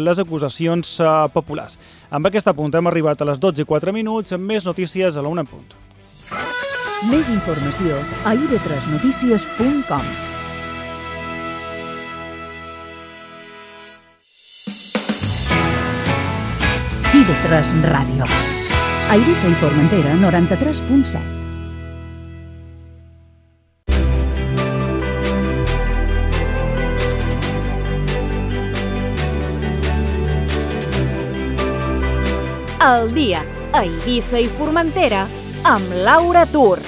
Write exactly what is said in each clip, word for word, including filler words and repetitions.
les acusacions eh, populars. Amb aquest apunt hem arribat a les dotze i quatre minuts amb més notícies a la una en punt. Més informació a i ve tres notícies punt com. i ve tres Ràdio. A Eivissa i Formentera, noranta-tres punt set. El dia a Eivissa i Formentera amb Laura Tur.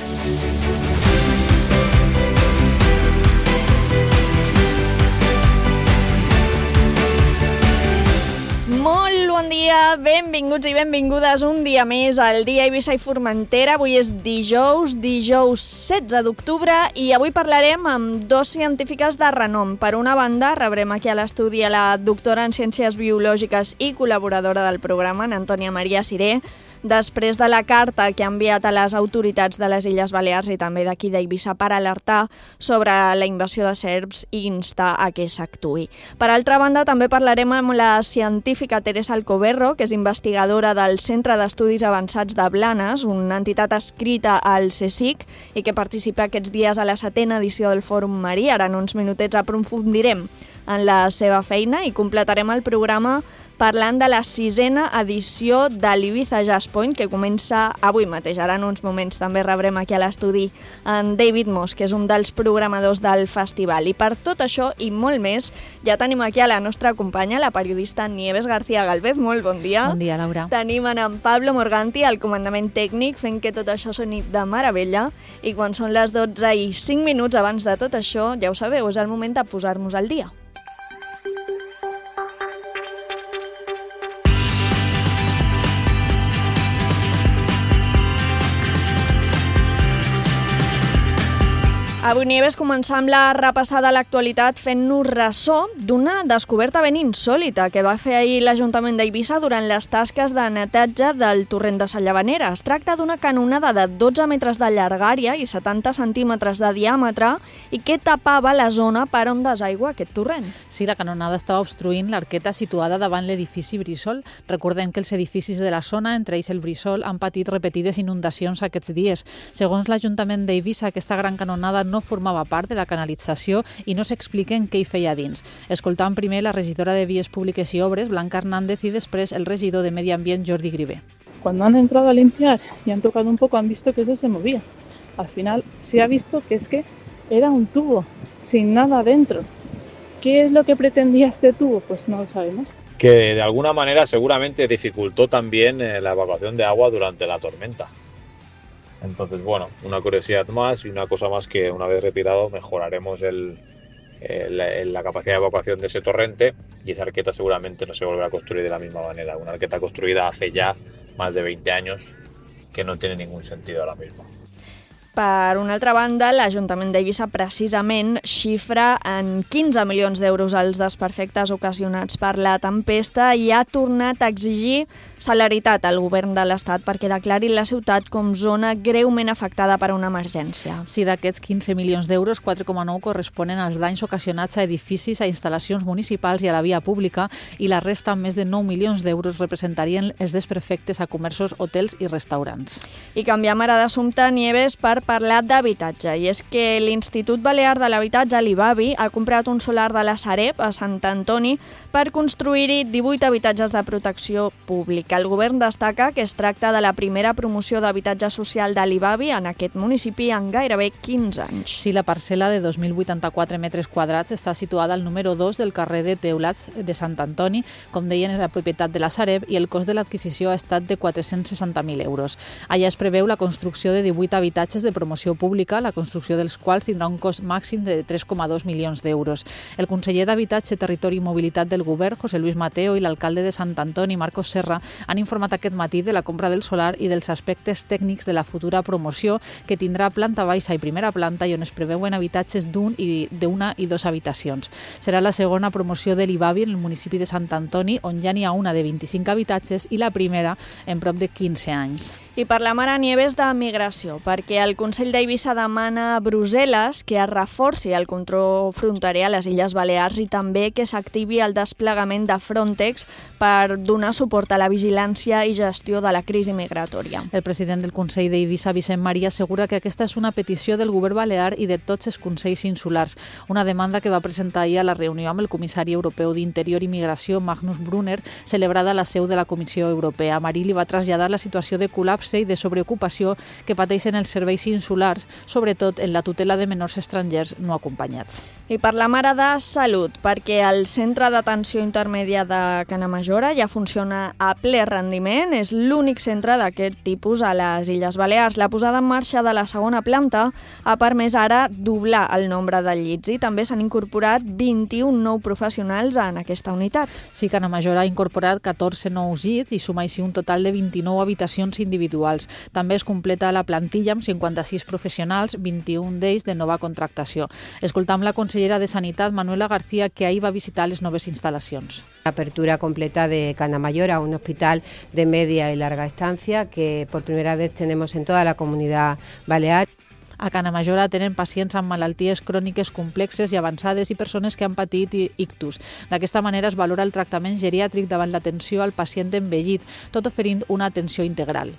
Molt bon dia, benvinguts i benvingudes un dia més al dia a Eivissa i Formentera. Avui és dijous, dijous setze d'octubre i avui parlarem amb dos científiques de renom. Per una banda, rebrem aquí a l'estudi a la doctora en Ciències Biològiques i col·laboradora del programa, en Antònia Maria Siré, després de la carta que ha enviat a les autoritats de les Illes Balears i també d'aquí d'Eivissa per alertar sobre la invasió de serps i instar a que s'actuï. Per altra banda, també parlarem amb la científica Teresa Alcoberro, que és investigadora del Centre d'Estudis Avançats de Blanes, una entitat adscrita al CSIC i que participa aquests dies a la setena edició del Fòrum Marí. Ara en uns minutets aprofundirem en la seva feina i completarem el programa parlant de la sisena edició de l'Ibiza Jazz Point, que comença avui mateix. Ara en uns moments també rebrem aquí a l'estudi en David Moss, que és un dels programadors del festival. I per tot això i molt més, ja tenim aquí a la nostra companya, la periodista Nieves García Galvez. Molt bon dia. Bon dia, Laura. Tenim en Pablo Morganti, al comandament tècnic, fent que tot això soni de meravella. I quan són les dotze i cinc minuts abans de tot això, ja ho sabeu, és el moment de posar-nos al dia. Avui, Nieves, començar amb la repassada a l'actualitat fent-nos ressò d'una descoberta ben insòlita que va fer ahir l'Ajuntament d'Eivissa durant les tasques de neteja del torrent de Sallavanera. Es tracta d'una canonada de dotze metres de llargària i setanta centímetres de diàmetre i que tapava la zona per on desaigua aquest torrent. Sí, la canonada estava obstruint l'arqueta situada davant l'edifici Brissol. Recordem que els edificis de la zona, entre ells el Brissol, han patit repetides inundacions aquests dies. Segons l'Ajuntament d'Eivissa, aquesta gran canonada no formava part de la canalització i no s'expliquen què hi feia dins. Escoltant primer la regidora de Vies Públiques i Obres, Blanca Hernández, i després el regidor de Medi Ambient, Jordi Grivé. Cuando han entrado a limpiar y han tocado un poco, han visto que eso se movía. Al final se ha visto que es que era un tubo, sin nada dentro. ¿Qué es lo que pretendía este tubo? Pues no lo sabemos. Que de alguna manera seguramente dificultó también eh, la evacuación de agua durante la tormenta. Entonces, bueno, una curiosidad más y una cosa más que una vez retirado mejoraremos el, el, la capacidad de evacuación de ese torrente y esa arqueta seguramente no se volverá a construir de la misma manera. Una arqueta construida hace ya más de veinte años que no tiene ningún sentido ahora mismo. Per una altra banda, l'Ajuntament d'Eivissa precisament xifra en quinze milions d'euros els desperfectes ocasionats per la tempesta i ha tornat a exigir celeritat al govern de l'Estat perquè declari la ciutat com zona greument afectada per una emergència. Sí, d'aquests quinze milions d'euros, quatre coma nou corresponen als danys ocasionats a edificis, a instal·lacions municipals i a la via pública i la resta, més de nou milions d'euros, representarien els desperfectes a comerços, hotels i restaurants. I canviem ara d'assumpte, Nieves, per parlar d'habitatge, i és que l'Institut Balear de l'Habitatge, l'I B A B I, ha comprat un solar de la Sareb a Sant Antoni per construir-hi divuit habitatges de protecció pública. El govern destaca que es tracta de la primera promoció d'habitatge social de l'I B A B I en aquest municipi en gairebé quinze anys. Sí, la parcel·la de dos mil vuitanta-quatre metres quadrats està situada al número dos del carrer de Teulats de Sant Antoni, com deien, és la propietat de la Sareb i el cost de l'adquisició ha estat de quatre-cents seixanta mil euros. Allà es preveu la construcció de divuit habitatges de promoció pública, la construcció dels quals tindrà un cost màxim de tres coma dos milions d'euros. El conseller d'Habitatge, Territori i Mobilitat del Govern, José Luis Mateo, i l'alcalde de Sant Antoni, Marcos Serra, han informat aquest matí de la compra del solar i dels aspectes tècnics de la futura promoció, que tindrà planta baixa i primera planta i on es preveuen habitatges d'un i d'una i dos habitacions. Serà la segona promoció de l'I B A B I en el municipi de Sant Antoni, on ja n'hi ha una de vint-i-cinc habitatges i la primera en prop de quinze anys. I parlem ara, Nieves, de migració, perquè el Consell d'Eivissa demana a Brussel·les que es reforci el control fronterer a les Illes Balears i també que s'activi el desplegament desplegament de Frontex per donar suport a la vigilància i gestió de la crisi migratòria. El president del Consell d'Eivissa, Vicent Maria, assegura que aquesta és una petició del govern balear i de tots els consells insulars, una demanda que va presentar ahir a la reunió amb el comissari europeu d'Interior i Migració, Magnus Brunner, celebrada a la seu de la Comissió Europea. Marí li va traslladar la situació de col·lapse i de sobreocupació que pateixen els serveis insulars, sobretot en la tutela de menors estrangers no acompanyats. I parlem ara de salut, perquè el Centre d'Atenció Intermèdia de Canamajora ja funciona a ple rendiment. És l'únic centre d'aquest tipus a les Illes Balears. La posada en marxa de la segona planta ha permès ara doblar el nombre de llits i també s'han incorporat vint-i-un nous professionals en aquesta unitat. Sí, Canamajora ha incorporat catorze nous llits i suma així un total de vint-i-nou habitacions individuals. També es completa la plantilla amb cinquanta-sis professionals, vint-i-un d'ells de nova contractació. Escoltam la consellera de Sanitat, Manuela García, que ahir va visitar les noves instal·lacions. Apertura completa de Canamajora, un hospital de media y larga estancia que por primera vez tenemos en toda la comunidad balear. A Canamajora tenen pacients amb malalties cròniques complexes i avançades i persones que han patit ictus. D'aquesta manera es valora el tractament geriàtric davant l'atenció al pacient envellit, tot oferint una atenció integral.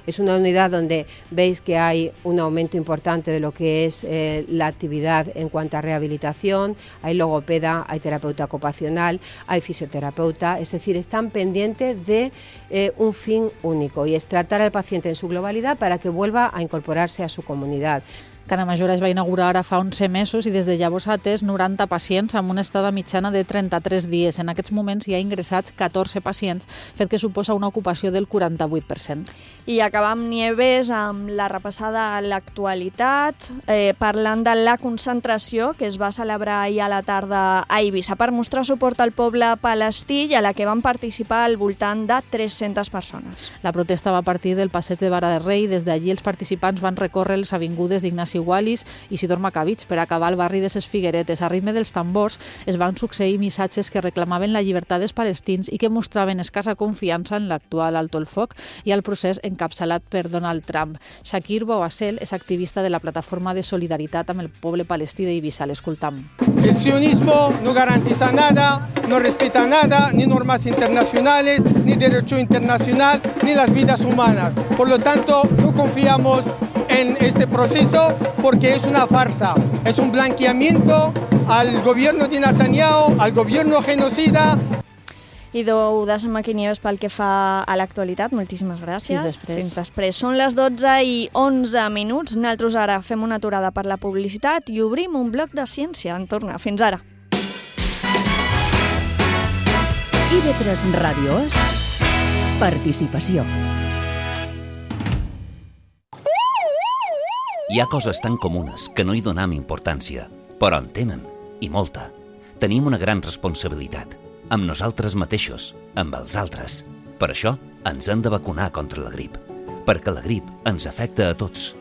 Es una unidad donde veis que hay un aumento importante de lo que es eh, la actividad en cuanto a rehabilitación, hay logopeda, hay terapeuta ocupacional, hay fisioterapeuta, es decir, están pendientes de eh, un fin único y es tratar al paciente en su globalidad para que vuelva a incorporarse a su comunidad. Canamajora es va inaugurar ara fa onze mesos i des de llavors ha atès noranta pacients amb una estada mitjana de trenta-tres dies. En aquests moments hi ha ingressats catorze pacients, fet que suposa una ocupació del quaranta-vuit per cent. I acabam, Nieves, amb la repassada a l'actualitat, eh, parlant de la concentració que es va celebrar ahir a la tarda a Eivissa per mostrar suport al poble palestí i a la que van participar al voltant de tres-centes persones. La protesta va partir del passeig de Vara de Rei. Des d'allí els participants van recórrer les avingudes d'Ignasi Wallis i Isidor Macavich per acabar al barri de ses Figueretes. A ritme dels tambors es van succeir missatges que reclamaven la llibertat dels palestins i que mostraven escassa confiança en l'actual alto el foc i al procés encapçalat per Donald Trump. Shakir Bouassel és activista de la plataforma de solidaritat amb el poble palestí d'Eivissa. L'escoltam. El sionismo no garantiza nada, no respeta nada, ni normas internacionales, ni derecho internacional, ni las vidas humanas. Por lo tanto, no confiamos en este proceso porque es una farsa, es un blanqueamiento al gobierno de Netanyahu, al gobierno genocida. I ho deixem aquí, Nieves, pel que fa a l'actualitat. Moltíssimes gràcies. Fins després. Fins després. Són les dotze i onze minuts. Nosaltres ara fem una aturada per la publicitat i obrim un bloc de ciència. En torna. Fins ara. I V tres Ràdio És participació. Hi ha coses tan comunes que no hi donem importància, però en tenen, i molta. Tenim una gran responsabilitat, amb nosaltres mateixos, amb els altres. Per això ens hem de vacunar contra la grip, perquè la grip ens afecta a tots.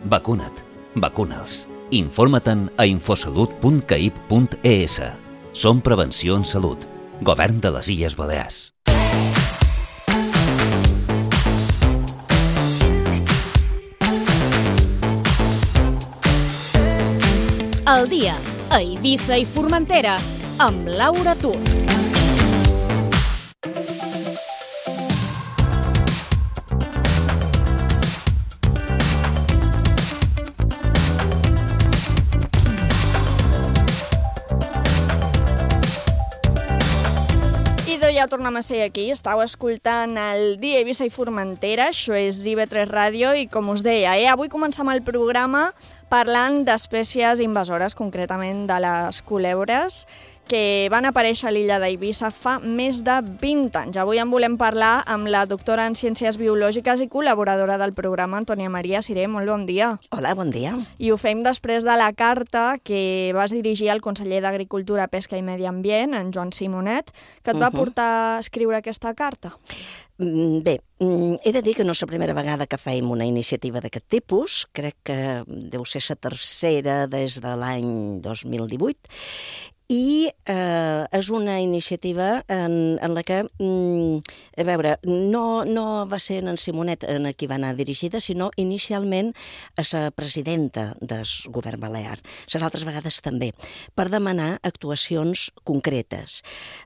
Vacuna't, vacuna'ls. Informa-te'n a infosalut punt caip punt es. Som Prevenció en Salut, Govern de les Illes Balears. El dia a Eivissa i Formentera amb Laura Tut. Ja tornem a ser aquí, estàu escoltant el dia a Eivissa i Formentera, això és I V tres Ràdio i com us deia, eh, avui comencem el programa parlant d'espècies invasores, concretament de les culebres, que van aparèixer a l'illa d'Eivissa fa més de vint anys. Avui en volem parlar amb la doctora en Ciències Biològiques i col·laboradora del programa, Antònia Maria Siré. Molt bon dia. Hola, bon dia. I ho fem després de la carta que vas dirigir al conseller d'Agricultura, Pesca i Medi Ambient, en Joan Simonet, que et va uh-huh. portar a escriure aquesta carta. Bé, he de dir que no és la primera vegada que fem una iniciativa d'aquest tipus. Crec que deu ser la tercera des de l'any dos mil divuit. i eh, és una iniciativa en, en la que, mm, a veure, no, no va ser en Simonet en qui va anar dirigida, sinó inicialment a la presidenta del govern balear, les altres vegades també, per demanar actuacions concretes.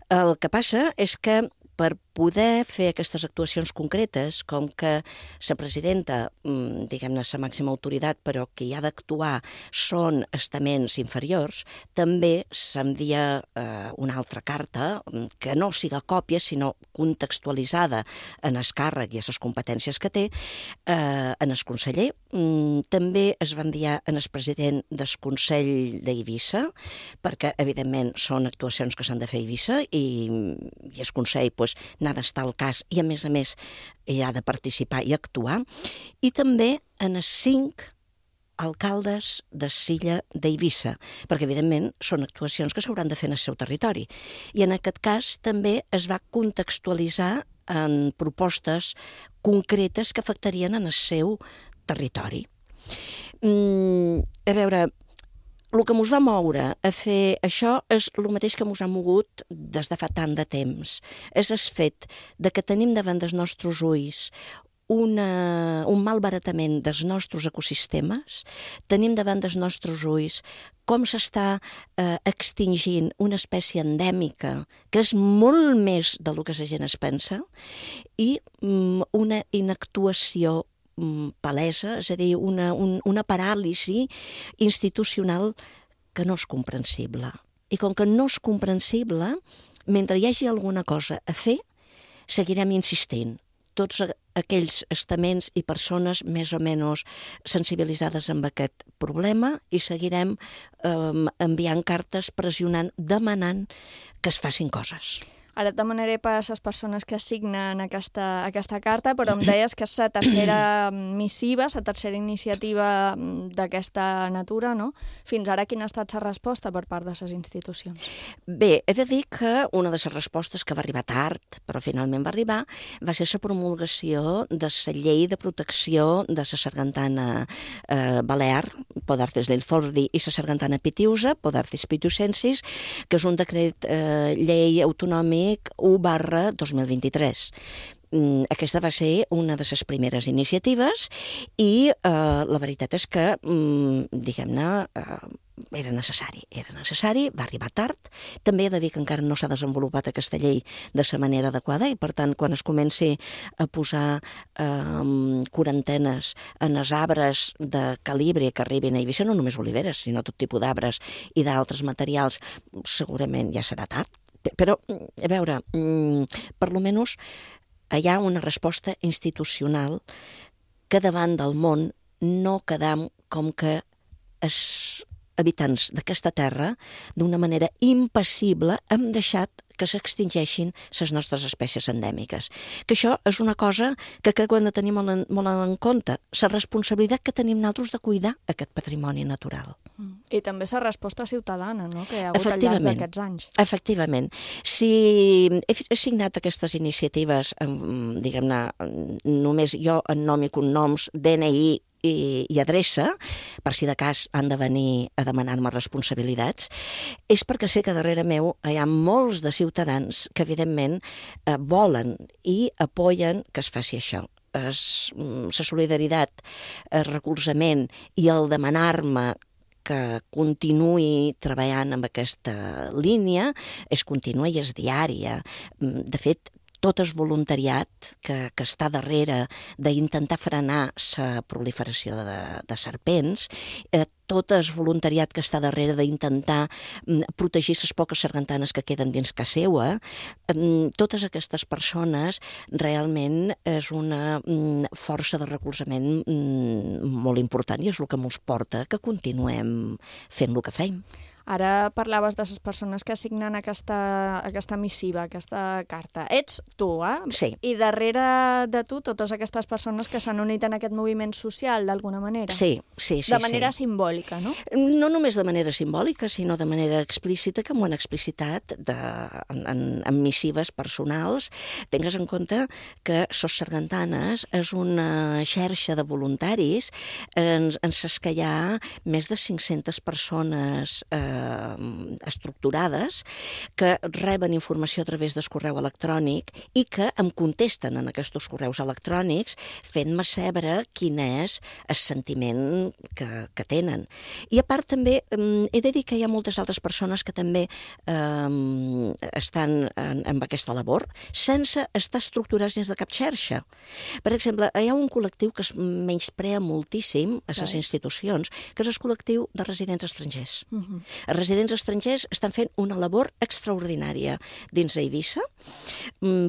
El que passa és que per poder fer aquestes actuacions concretes, com que la presidenta, diguem-ne, la màxima autoritat, però qui ha d'actuar són estaments inferiors, també s'envia eh, una altra carta, que no siga còpia, sinó contextualitzada en el càrrec i a les competències que té, eh, en el conseller. Mm, també es va enviar en el president del Consell d'Eivissa, perquè, evidentment, són actuacions que s'han de fer a Eivissa i, i el Consell pues, n'ha d'estar al cas i, a més a més, hi ha de participar i actuar. I també en els cinc alcaldes de Silla d'Eivissa, perquè, evidentment, són actuacions que s'hauran de fer en el seu territori. I en aquest cas també es va contextualitzar en propostes concretes que afectarien en el seu territori. Mm, a veure, el que ens va moure a fer això és el mateix que ens ha mogut des de fa tant de temps. És el fet de que tenim davant dels nostres ulls una, un malbaratament dels nostres ecosistemes, tenim davant dels nostres ulls com s'està eh, extingint una espècie endèmica que és molt més del que la gent es pensa i mm, una inactuació palesa, és a dir, una, un, una paràlisi institucional que no és comprensible. I com que no és comprensible, mentre hi hagi alguna cosa a fer, seguirem insistint. Tots aquells estaments i persones més o menys sensibilitzades amb aquest problema i seguirem eh, enviant cartes, pressionant, demanant que es facin coses. Ara et demanaré per a les persones que signen aquesta, aquesta carta, però em deies que és la tercera missiva, la tercera iniciativa d'aquesta natura, no? Fins ara, quina ha estat la resposta per part de les institucions? Bé, he de dir que una de les respostes que va arribar tard, però finalment va arribar, va ser la promulgació de la llei de protecció de la sargantana eh, balear, Podarcis l'Ilfordi, i la sargantana pitiusa, Podarcis pitiusensis, que és un decret eh, llei autonòmic u barra dos mil vint-i-tres. Aquesta va ser una de les primeres iniciatives i eh, la veritat és que, diguem-ne, eh, era necessari, era necessari, va arribar tard. També he de dir que encara no s'ha desenvolupat aquesta llei de la manera adequada i, per tant, quan es comenci a posar eh, quarantenes en els arbres de calibre que arribin a Eivissa, no només oliveres, sinó tot tipus d'arbres i d'altres materials, segurament ja serà tard. Però, a veure, per lo menys hi ha una resposta institucional que davant del món no quedam com que els habitants d'aquesta terra, d'una manera impassible, hem deixat que s'extingeixin les nostres espècies endèmiques. Que això és una cosa que crec que hem de tenir molt en, molt en compte, la responsabilitat que tenim nosaltres de cuidar aquest patrimoni natural. I també la resposta ciutadana, no?, que hi ha hagut al llarg d'aquests anys. Efectivament. Si he signat aquestes iniciatives, diguem-ne, només jo en nom i cognoms, D N I i, i adreça, per si de cas han de venir a demanar-me responsabilitats, és perquè sé que darrere meu hi ha molts de ciutadans que, evidentment, eh, volen i apoyen que es faci això. La solidaritat, el recolzament i el demanar-me que continuï treballant amb aquesta línia és contínua i és diària. De fet, tot és voluntariat que, que està darrere d'intentar frenar la proliferació de, de serpents, eh, tot és voluntariat que està darrere d'intentar protegir les poques sargantanes que queden dins casa seva. Eh, totes aquestes persones realment és una mm, força de recolzament mm, molt important i és el que ens porta que continuem fent el que feim. Ara parlaves de les persones que signen aquesta, aquesta missiva, aquesta carta. Ets tu, eh? Sí. I darrere de tu, totes aquestes persones que s'han unit en aquest moviment social, d'alguna manera. Sí, sí, sí. De manera sí. simbòlica, no? No només de manera simbòlica, sinó de manera explícita, que m'ho han explicitat de, en, en, en missives personals. Tingues en compte que Sos Sargantanes és una xarxa de voluntaris en, en ses que hi ha més de cinc-centes persones eh, eh, estructurades que reben informació a través del correu electrònic i que em contesten en aquests correus electrònics fent-me saber quin és el sentiment que, que tenen. I a part també eh, he de dir que hi ha moltes altres persones que també eh, estan en, en aquesta labor sense estar estructurats dins de cap xarxa. Per exemple, hi ha un col·lectiu que es menysprea moltíssim a les institucions, que és el col·lectiu de residents estrangers. Uh-huh. Els residents estrangers estan fent una labor extraordinària dins d'Eivissa,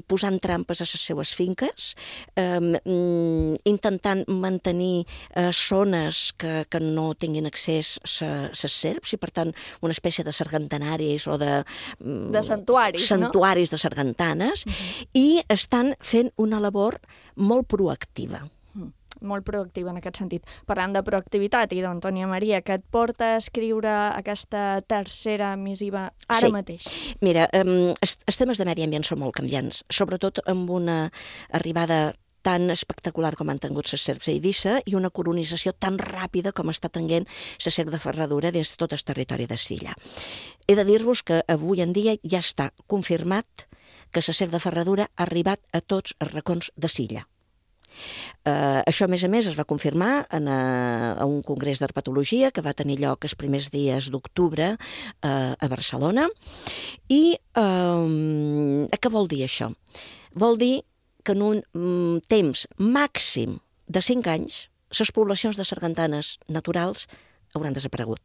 posant trampes a les seues finques, eh, intentant mantenir eh, zones que, que no tinguin accés a les serps i, per tant, una espècie de sargantanaris o de... De santuaris, santuaris no? de sargantanes, uh-huh. i estan fent una labor molt proactiva. Mm, molt proactiva en aquest sentit. Parlant de proactivitat, i d'Antònia Maria, que et porta a escriure aquesta tercera missiva ara sí. mateix? Mira, um, els, els temes de medi ambient són molt canviants, sobretot amb una arribada tan espectacular com han tingut les serps a Eivissa i una colonització tan ràpida com està tenint la serp de ferradura des de tot el territori de Silla. He de dir-vos que avui en dia ja està confirmat que la serp de ferradura ha arribat a tots els racons de Silla. Uh, això, a més a més, es va confirmar en a, a un congrés d'herpetologia que va tenir lloc els primers dies d'octubre uh, a Barcelona. I uh, què vol dir això? Vol dir que en un um, temps màxim de cinc anys les poblacions de sargantanes naturals hauran desaparegut.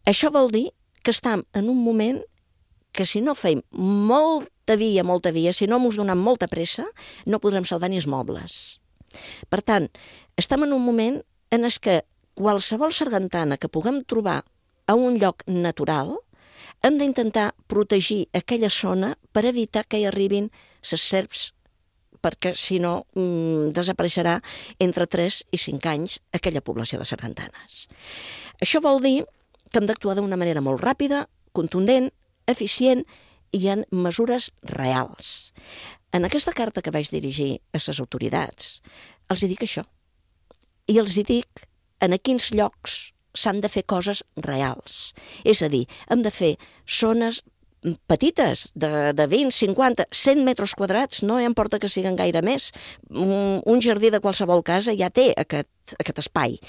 Això vol dir que estem en un moment que si no feim molta via, molta via, si no mos donem molta pressa, no podrem salvar ni els mobles. Per tant, estem en un moment en què qualsevol sargantana que puguem trobar a un lloc natural hem d'intentar protegir aquella zona per evitar que hi arribin les serps, perquè si no mmm, desapareixerà entre tres i cinc anys aquella població de sargantanes. Això vol dir que hem d'actuar d'una manera molt ràpida, contundent, eficient i en mesures reals. En aquesta carta que vaig dirigir a les autoritats, els hi dic això. I els hi dic en a quins llocs s'han de fer coses reals. És a dir, hem de fer zones petites, de, de vint, cinquanta, cent metres quadrats, no importa que siguin gaire més. Un, un jardí de qualsevol casa ja té aquest, aquest espai.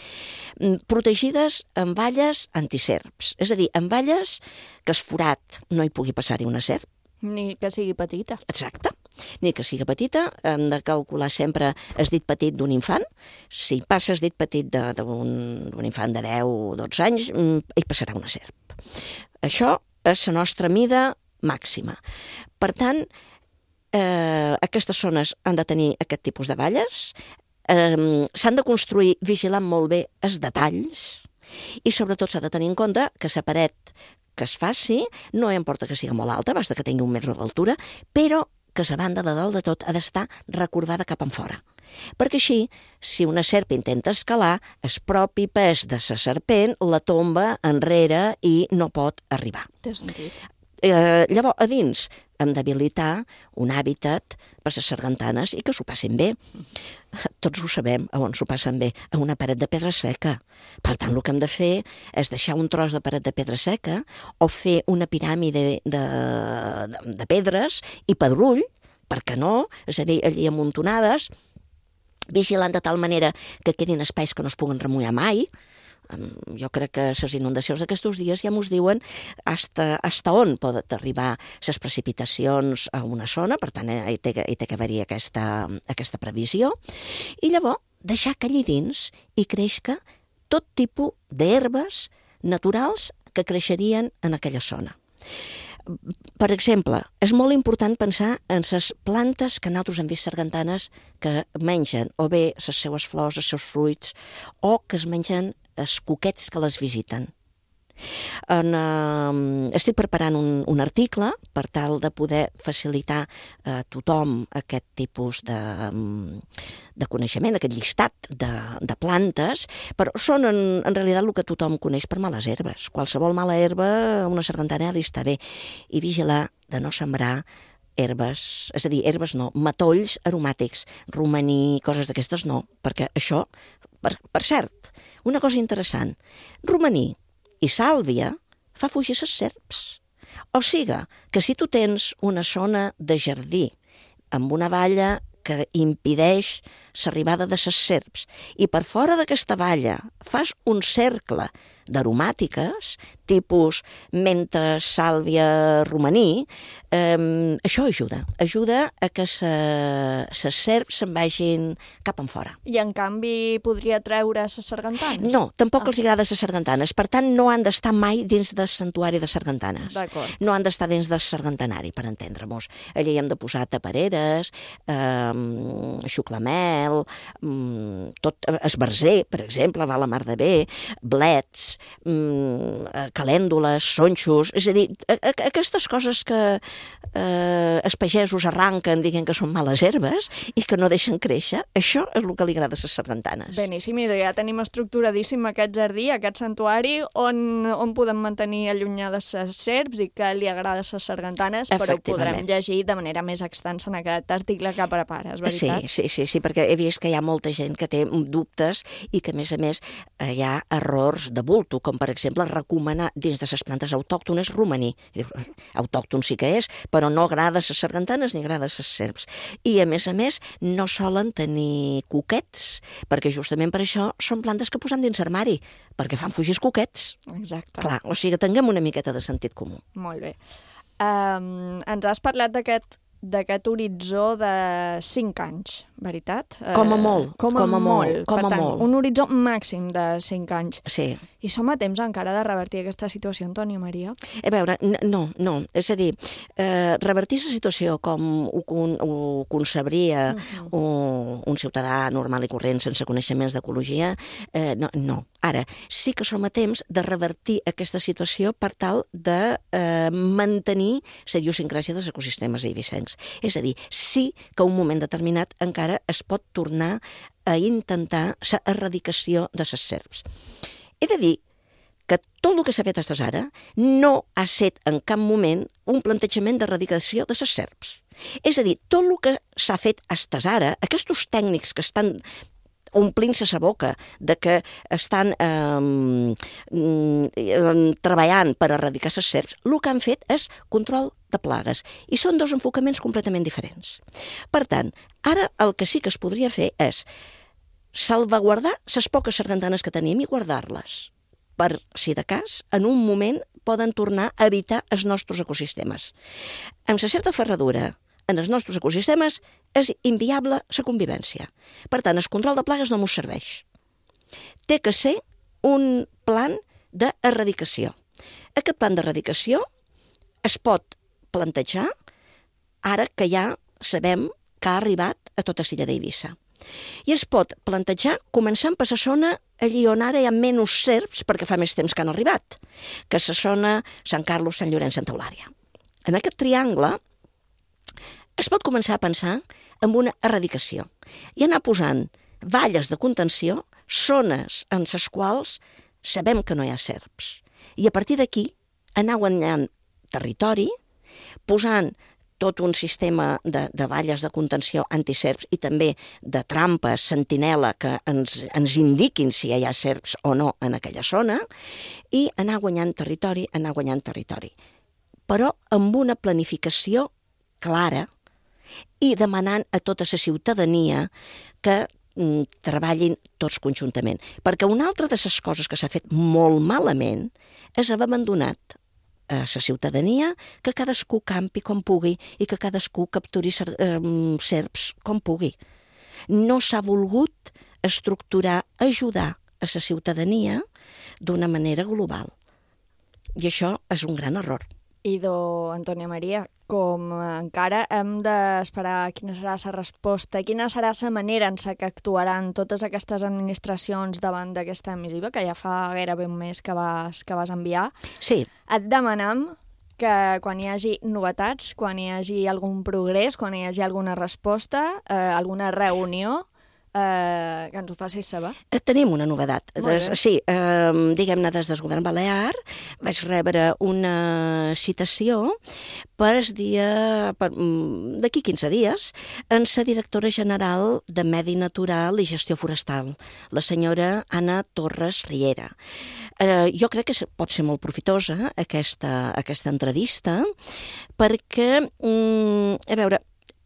Protegides amb valles antiserps, és a dir, amb valles que es forat no hi pugui passar-hi una serp. Ni que sigui petita. Exacte. Ni que sigui petita, hem de calcular sempre el dit petit d'un infant. Si passa el dit petit d'un infant de deu o dotze anys, hi passarà una serp. Això és la nostra mida màxima. Per tant, eh, aquestes zones han de tenir aquest tipus de valles, eh, s'han de construir vigilant molt bé els detalls i sobretot s'ha de tenir en compte que la paret que es faci no importa que sigui molt alta, basta que tingui un metre d'altura, però que la banda de dalt de tot ha d'estar recorbada cap enfora. Perquè així, si una serp intenta escalar, el propi pes de la serpent la tomba enrere i no pot arribar. Té sentit. Eh, llavors, a dins hem d'habilitar un hàbitat per les sargantanes i que s'ho passin bé. Tots ho sabem, a on s'ho passen bé, a una paret de pedra seca. Per tant, el que hem de fer és deixar un tros de paret de pedra seca o fer una piràmide de, de, de pedres i pedrull, per què no? És a dir, allí amuntonades, vigilant de tal manera que quedin espais que no es puguen remullar mai. Jo crec que les inundacions d'aquests dies ja mos diuen hasta, hasta on poden arribar les precipitacions a una zona, per tant, hi té, hi té que haver-hi aquesta, aquesta previsió. I llavors, deixar que allí dins hi creixca tot tipus d'herbes naturals que creixerien en aquella zona. Per exemple, és molt important pensar en les plantes que nosaltres hem vist sargantanes que mengen o bé les seues flors, els seus fruits, o que es mengen els cuquets que les visiten. En, uh, estic preparant un, un article per tal de poder facilitar a tothom aquest tipus de, de coneixement, aquest llistat de, de plantes, però són en, en realitat el que tothom coneix per males herbes. Qualsevol mala herba, una sargantana li està bé. I vigilar de no sembrar herbes, és a dir, herbes no, matolls aromàtics, romaní, coses d'aquestes no, perquè això, per, per cert, una cosa interessant, romaní i sàlvia fa fugir les serps. O sigui, que si tu tens una zona de jardí amb una valla que impedeix l'arribada de les serps i per fora d'aquesta valla fas un cercle d'aromàtiques, tipus menta, sàlvia, romaní, eh, això ajuda. Ajuda a que les serps se'n vagin cap en fora. I en canvi podria treure les sargantanes? No, tampoc ah. els agrada les sargantanes. Per tant, no han d'estar mai dins del santuari de sargantanes. D'acord. No han d'estar dins del sargantanari, per entendre-mos. Allà hi hem de posar tapareres, eh, xuclamel, tot, esbarzer, per exemple, va la mar de bé, blets, calèndules, sonxos, és a dir, aquestes coses que eh, els pagesos arranquen dient que són males herbes i que no deixen créixer, això és el que li agrada a les sargantanes. Beníssim, i ja tenim estructuradíssim aquest jardí, aquest santuari, on, on podem mantenir allunyades les serps i que li agrada a les sargantanes, però ho podrem llegir de manera més extensa en aquest article que prepares, veritat? Sí, sí, sí, sí, perquè he vist que hi ha molta gent que té dubtes i que, a més a més, hi ha errors de bulto, com per exemple recomanar dins de les plantes autòctones romaní. Autòcton sí que és, però no agrada les sargantanes ni agrada les serps. I a més a més no solen tenir cuquets, perquè justament per això són plantes que posen dins l'armari, perquè fan fugir els cuquets. Exacte. Clar, o sigui, tinguem una miqueta de sentit comú. Molt bé. Um, ens has parlat d'aquest d'aquest horitzó de cinc anys, veritat? Com a molt. Com a, com a molt. molt. Com per a tant, molt. un horitzó màxim de cinc anys. Sí. I som a temps encara de revertir aquesta situació, Antònia Maria? A veure, no, no. És a dir, eh, revertir la situació com ho, ho concebria uh-huh. un, un ciutadà normal i corrent sense coneixements d'ecologia, eh, no, no. Ara, sí que som a temps de revertir aquesta situació per tal de eh, mantenir la idiosincràsia dels ecosistemes eivissencs. És a dir, sí que un moment determinat encara es pot tornar a intentar l'erradicació de les serps. He de dir que tot el que s'ha fet fins ara no ha estat en cap moment un plantejament d'erradicació de les serps. És a dir, tot el que s'ha fet fins ara, aquests tècnics que estan omplint-se la boca de que estan eh, treballant per erradicar les serps, el que han fet és control de plagues. I són dos enfocaments completament diferents. Per tant, ara el que sí que es podria fer és salvaguardar les poques sargantanes que tenim i guardar-les, per, si de cas, en un moment poden tornar a evitar els nostres ecosistemes. Amb la certa ferradura, en els nostres ecosistemes és inviable la convivència. Per tant, el control de plagues no ens serveix. Té que ser un plan d'erradicació. Aquest plan d'erradicació es pot plantejar ara que ja sabem que ha arribat a tota l'illa d'Eivissa. I es pot plantejar començant per la zona allí on ara hi ha menys serps perquè fa més temps que han arribat, que és la zona Sant Carlos, Sant Llorenç, Santa Eulària. En aquest triangle es pot començar a pensar en una erradicació i anar posant valles de contenció, zones en les quals sabem que no hi ha serps. I a partir d'aquí anar guanyant territori, posant tot un sistema de, de valles de contenció antiserps i també de trampes sentinela que ens, ens indiquin si hi ha serps o no en aquella zona, i anar guanyant territori, anar guanyant territori. Però amb una planificació clara i demanant a tota la ciutadania que mm, treballin tots conjuntament. Perquè una altra de les coses que s'ha fet molt malament és haver abandonat a la ciutadania que cadascú campi com pugui i que cadascú capturi serps com pugui. No s'ha volgut estructurar, ajudar a la ciutadania d'una manera global. I això és un gran error. Idò, Antònia Maria, com encara hem d'esperar quina serà la resposta, quina serà la manera en què actuaran totes aquestes administracions davant d'aquesta missiva, que ja fa gairebé un mes que vas, que vas enviar. Sí. Et demanam que quan hi hagi novetats, quan hi hagi algun progrés, quan hi hagi alguna resposta, eh, alguna reunió, eh, que ens ho facis saber. Tenim una novedat. Sí, eh, diguem-ne, des del govern balear vaig rebre una citació per el dia, d'aquí quinze dies, en la directora general de Medi Natural i Gestió Forestal, la senyora Anna Torres Riera. Eh, jo crec que pot ser molt profitosa aquesta, aquesta entrevista perquè, mm, a veure,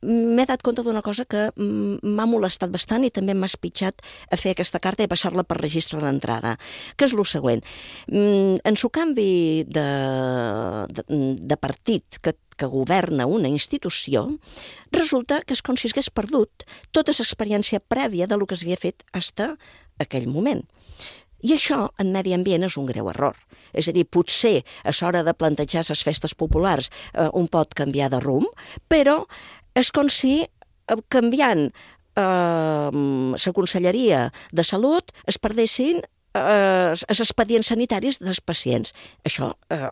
m'he dat compte d'una cosa que m'ha molestat bastant i també m'ha espitxat a fer aquesta carta i a passar-la per registre d'entrada, que és el següent. En el canvi de, de, de partit que, que governa una institució, resulta que és com si hagués perdut tota l'experiència prèvia del que s'havia fet fins a aquell moment. I això, en medi ambient, és un greu error. És a dir, potser a l'hora de plantejar les festes populars eh, un pot canviar de rumb, però és com si canviant eh, la Conselleria de Salut es perdessin eh, els expedients sanitaris dels pacients. Això eh,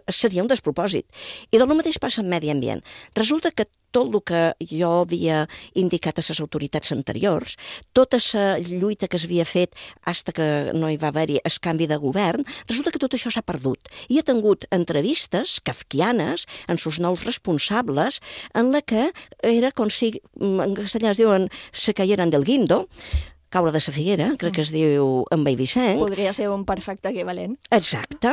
seria un despropòsit. I del mateix passa en medi ambient. Resulta que tot el que jo havia indicat a les autoritats anteriors, tota la lluita que s'havia fet fins que no hi va haver-hi el canvi de govern, resulta que tot això s'ha perdut. I he tingut entrevistes kafkianes amb els nous responsables en la que era com si, en castellà es diuen, se caieran del guindo, caure de la figuera, crec que es diu en Beivicenc. Podria ser un perfecte equivalent. Exacte.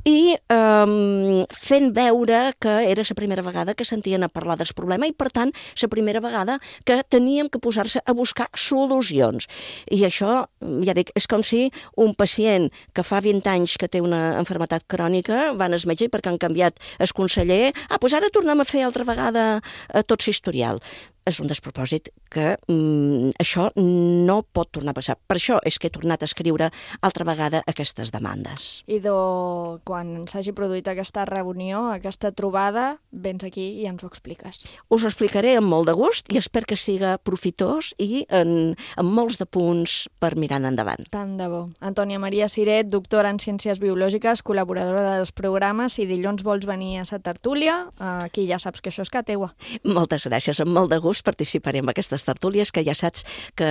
I um, fent veure que era la primera vegada que sentien a parlar del problema i, per tant, la primera vegada que teníem que posar-se a buscar solucions. I això, ja dic, és com si un pacient que fa vint anys que té una malaltia crònica va al metge i perquè han canviat el conseller, ah, doncs ara tornem a fer altra vegada tot l'historial. És un despropòsit que mm, això no pot tornar a passar. Per això és que he tornat a escriure altra vegada aquestes demandes. I do, quan s'hagi produït aquesta reunió, aquesta trobada, vens aquí i ens ho expliques. Us ho explicaré amb molt de gust i espero que siga profitós i en, en molts de punts per mirar endavant. Tant de bo. Antònia Maria Ciret, doctora en Ciències Biològiques, col·laboradora dels programes. Si dilluns vols venir a la tertúlia, aquí ja saps que això és ca teua. Moltes gràcies, amb molt de gust participaré en aquestes tertúlies, que ja saps que,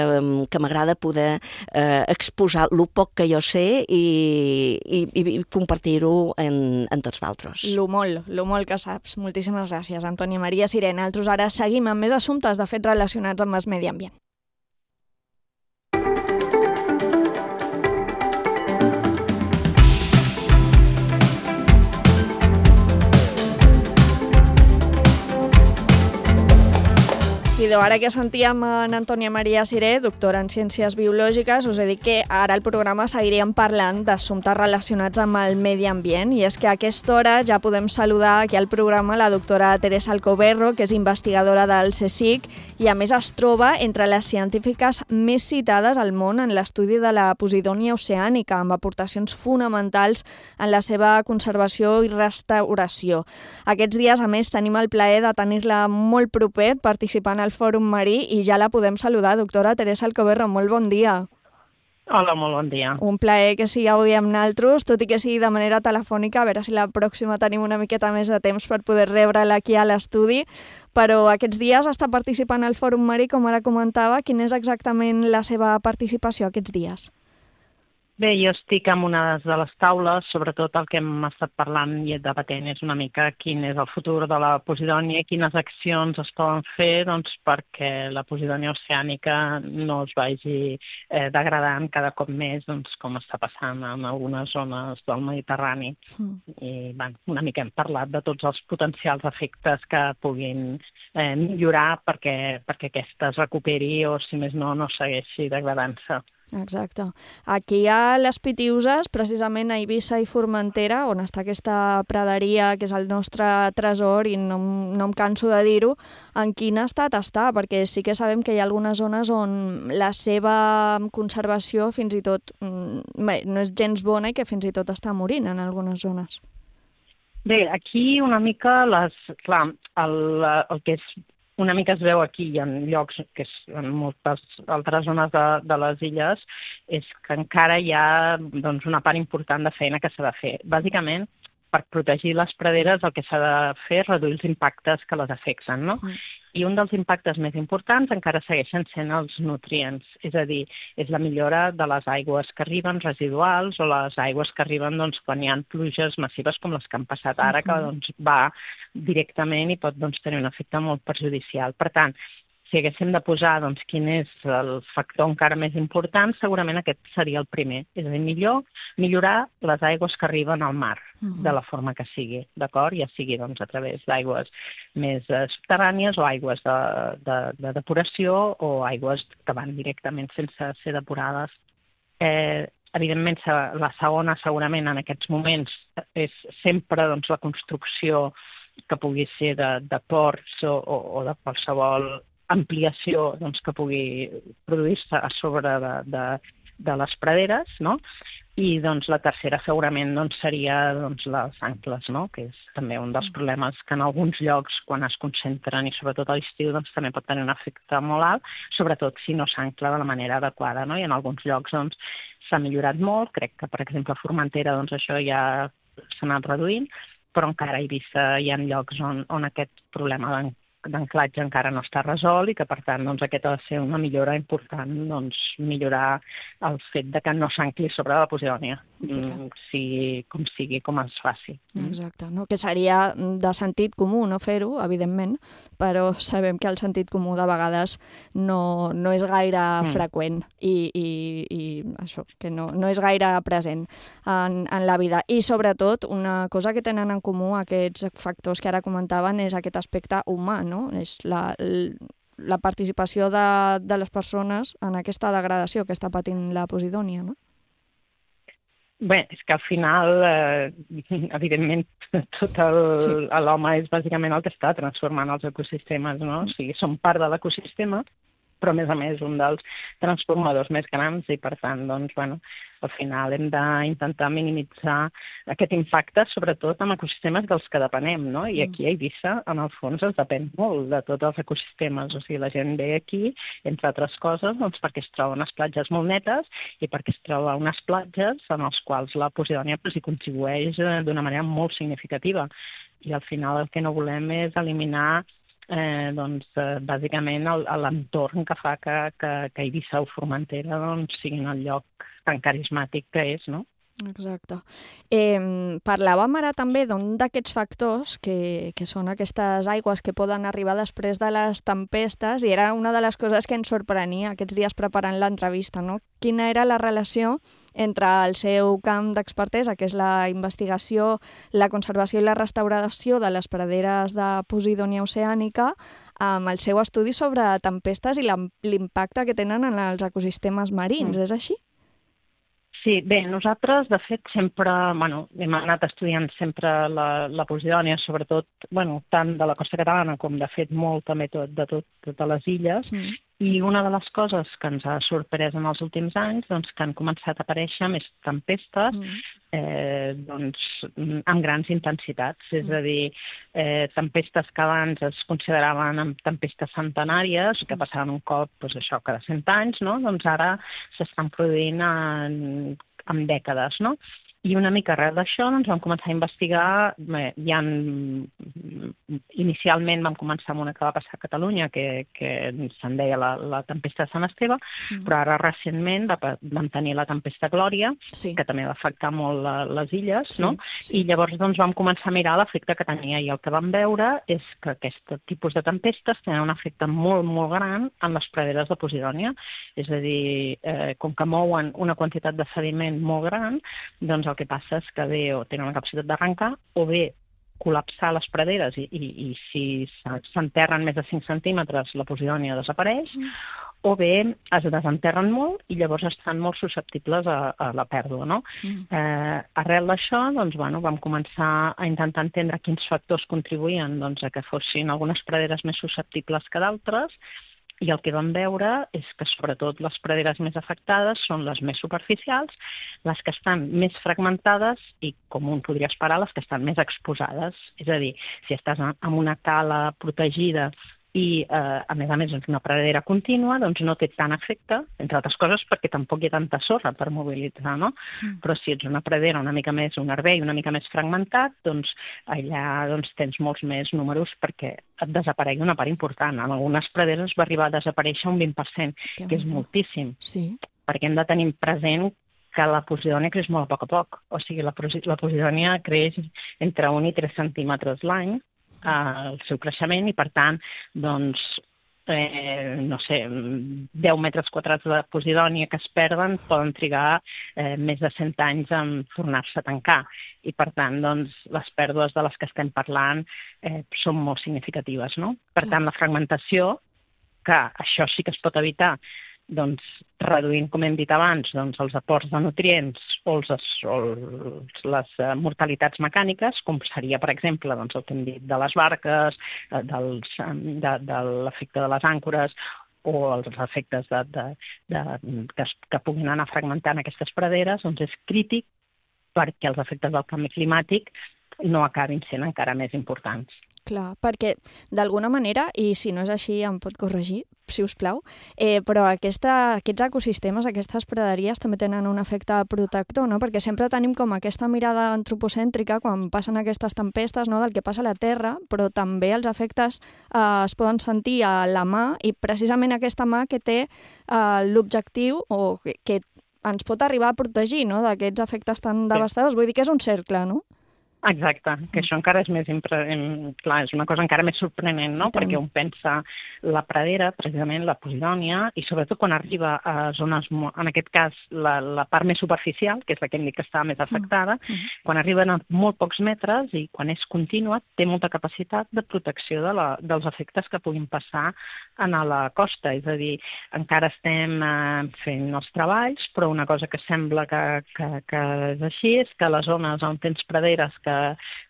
que m'agrada poder eh, exposar el poc que jo sé i, i, i compartir-ho en, en tots d'altres. Lo molt, lo molt que saps. Moltíssimes gràcies, Antònia Maria Ciret. Nosaltres ara seguim amb més assumptes, de fet, relacionats amb el medi ambient. I ara que sentíem en Antònia Maria Ciret, doctora en Ciències Biològiques, us he dit que ara al programa seguiríem parlant d'assumptes relacionats amb el medi ambient, i és que a aquesta hora ja podem saludar aquí al programa la doctora Teresa Alcoberro, que és investigadora del CSIC i a més es troba entre les científiques més citades al món en l'estudi de la Posidònia oceànica, amb aportacions fonamentals en la seva conservació i restauració. Aquests dies, a més, tenim el plaer de tenir-la molt proper participant al Fòrum Marí i ja la podem saludar. Doctora Teresa Alcoberro, molt bon dia. Hola, molt bon dia. Un plaer que sigui avui amb nosaltres, tot i que sigui de manera telefònica, a veure si la pròxima tenim una miqueta més de temps per poder rebre'la aquí a l'estudi, però aquests dies està participant al Fòrum Marí, com ara comentava. Quina és exactament la seva participació aquests dies? Bé, jo estic en una de les taules, sobretot el que hem estat parlant i debatent és una mica quin és el futur de la Posidònia i quines accions es poden fer doncs, perquè la Posidònia oceànica no es vagi eh, degradant cada cop més, doncs, com està passant en algunes zones del Mediterrani. Mm. I bueno, una mica hem parlat de tots els potencials efectes que puguin eh, millorar perquè, perquè aquesta es recuperi o, si més no, no segueixi degradant-se. Exacte. Aquí a les Pitiüses, precisament a Eivissa i Formentera, on està aquesta praderia que és el nostre tresor i no, no em canso de dir-ho, en quin estat està? Perquè sí que sabem que hi ha algunes zones on la seva conservació fins i tot bé, no és gens bona i que fins i tot està morint en algunes zones. Bé, aquí una mica les, clar, el, el que és una mica es veu aquí i en llocs, que és en moltes altres zones de, de les illes, és que encara hi ha doncs, una part important de feina que s'ha de fer. Bàsicament per protegir les praderes el que s'ha de fer és reduir els impactes que les afecten, no? Mm. I un dels impactes més importants encara segueixen sent els nutrients, és a dir, és la millora de les aigües que arriben residuals o les aigües que arriben doncs, quan hi ha pluges massives com les que han passat ara, que doncs, va directament i pot doncs, tenir un efecte molt perjudicial. Per tant, si haguéssim de posar doncs, quin és el factor encara més important, segurament aquest seria el primer. És a dir, millor millorar les aigües que arriben al mar, uh-huh. de la forma que sigui, d'acord? Ja sigui doncs, a través d'aigües més eh, subterrànies o aigües de, de, de depuració o aigües que van directament sense ser depurades. Eh, evidentment, la segona, segurament, en aquests moments, és sempre doncs, la construcció que pugui ser de, de ports o, o, o de qualsevol ampliació doncs, que pugui produir-se a sobre de, de, de les praderes, no? I doncs, la tercera segurament doncs, seria doncs, les ancles, no? Que és també un dels problemes que en alguns llocs, quan es concentren, i sobretot a l'estiu, doncs, també pot tenir un efecte molt alt, sobretot si no s'ancla de la manera adequada, no? I en alguns llocs doncs, s'ha millorat molt, crec que per exemple a Formentera doncs, això ja s'ha anat reduint, però encara a Eivissa hi ha llocs on, on aquest problema d'an- d'anclatge encara no està resolt i que, per tant, doncs, aquest ha de ser una millora important, doncs, millorar el fet de que no s'ancli sobre la Posidònia, mm, sigui com sigui, com es faci. Exacte, no? Que seria de sentit comú no fer-ho, evidentment, però sabem que el sentit comú de vegades no, no és gaire mm. freqüent i, i, i això, que no, no és gaire present en, en la vida. I, sobretot, una cosa que tenen en comú aquests factors que ara comentaven és aquest aspecte humà, no? És la, la participació de, de les persones en aquesta degradació que està patint la Posidònia, no? Bé, és que al final, eh, evidentment, tot el, sí. l'home és bàsicament el que està transformant els ecosistemes, no? O sigui, som part de l'ecosistema, però a més a més un dels transformadors més grans i per tant, doncs, bueno, al final hem d'intentar minimitzar aquest impacte, sobretot en ecosistemes dels que depenem, no? I aquí a Eivissa, en el fons, es depèn molt de tots els ecosistemes, o sigui, la gent ve aquí, entre altres coses, doncs, perquè es troba unes platges molt netes i perquè es troba unes platges en les quals la Posidònia pues, hi contribueix d'una manera molt significativa. I al final el que no volem és eliminar Eh, doncs, eh, bàsicament l'entorn que fa que, que, que Eivissa o Formentera doncs, siguin el lloc tan carismàtic que és, no? Exacte. Eh, parlàvem ara també d'un d'aquests factors que, que són aquestes aigües que poden arribar després de les tempestes i era una de les coses que ens sorprenia aquests dies preparant l'entrevista, no? Quina era la relació entre el seu camp d'expertesa, que és la investigació, la conservació i la restauració de les praderes de Posidònia oceànica, amb el seu estudi sobre tempestes i l'impacte que tenen en els ecosistemes marins. Mm. És així? Sí, bé, nosaltres, de fet, sempre, bueno, hem anat estudiant sempre la, la Posidònia, sobretot, bueno, tant de la costa catalana com, de fet, molt també tot, de tot, totes les illes, mm. I una de les coses que ens ha sorprès en els últims anys, doncs, que han començat a aparèixer més tempestes, mm. eh, doncs, amb grans intensitats, mm. és a dir, eh, tempestes que abans es consideraven tempestes centenàries, mm. que passaven un cop, doncs, això, cada cent anys, no? Doncs ara s'estan produint en, en dècades, no? I una mica arrel d'això doncs, vam començar a investigar, bé, ja en, inicialment vam començar amb una que va passar a Catalunya, que, que se'n deia la, la tempesta de Sant Esteve, mm. però ara recentment vam tenir la tempesta Glòria, sí. Que també va afectar molt la, les illes, sí, no? Sí. I llavors doncs, vam començar a mirar l'efecte que tenia i el que vam veure és que aquest tipus de tempestes tenen un efecte molt, molt gran en les praderes de Posidònia, és a dir, eh, com que mouen una quantitat de sediment molt gran, doncs el que passa és que bé o tenen una capacitat d'arrencar o bé col·lapsar les praderes i, i, i si s'enterren més de cinc centímetres la Posidònia desapareix, mm. o bé es desenterren molt i llavors estan molt susceptibles a, a la pèrdua, no? Mm. Eh, arrel d'això, doncs, bueno, vam començar a intentar entendre quins factors contribuïen doncs, a que fossin algunes praderes més susceptibles que d'altres, i el que vam veure és que sobretot les praderes més afectades són les més superficials, les que estan més fragmentades i, com un podria esperar, les que estan més exposades. És a dir, si estàs en una cala protegida i, eh, a més a més, doncs, una pradera contínua doncs, no té tant efecte, entre altres coses perquè tampoc hi ha tanta sorra per mobilitzar, no? Mm. Però si ets una pradera una mica més, un herber una mica més fragmentat, doncs allà doncs, tens molts més números perquè et desaparegui una part important. En algunes praderes va arribar a desaparèixer un vint per cent, que, que és moltíssim, sí. perquè hem de tenir present que la posidònia creix molt a poc a poc. O sigui, la, la posidònia creix entre un i tres centímetres l'any, eh, el seu creixement, i per tant, doncs, eh, no sé, deu metres quadrats de posidònia que es perden poden trigar eh, més de cent anys en tornar-se a tancar. I per tant, doncs, les pèrdues de les que estem parlant eh, són molt significatives, no? Per tant, la fragmentació, que això sí que es pot evitar, doncs, reduint, com hem dit abans, doncs, els aports de nutrients o, els, o els, les uh, mortalitats mecàniques, com seria, per exemple, doncs, el que hem dit de les barques, uh, dels, um, de, de l'efecte de les àncores o els efectes de, de, de, que, es, que puguin anar fragmentant aquestes praderes, doncs és crític perquè els efectes del canvi climàtic no acabin sent encara més importants. Clar, perquè d'alguna manera, i si no és així em pot corregir, si us plau, eh, però aquesta, aquests ecosistemes, aquestes praderies també tenen un efecte protector, no? Perquè sempre tenim com aquesta mirada antropocèntrica quan passen aquestes tempestes, no? Del que passa a la Terra, però també els efectes eh, es poden sentir a la mà, i precisament aquesta mà que té eh, l'objectiu o que, que ens pot arribar a protegir, no? D'aquests efectes tan devastadors. Vull dir que és un cercle, no? Exacte, que això encara és més impre... clar, és una cosa encara més sorprenent, no? Perquè un pensa la pradera, precisament la posidònia, i sobretot quan arriba a zones, en aquest cas la, la part més superficial, que és la que hem dit que està més afectada, mm. quan arriben a molt pocs metres i quan és contínua, té molta capacitat de protecció de la, dels efectes que puguin passar a la costa. És a dir, encara estem eh, fent els treballs, però una cosa que sembla que, que, que és així és que les zones on tens praderes que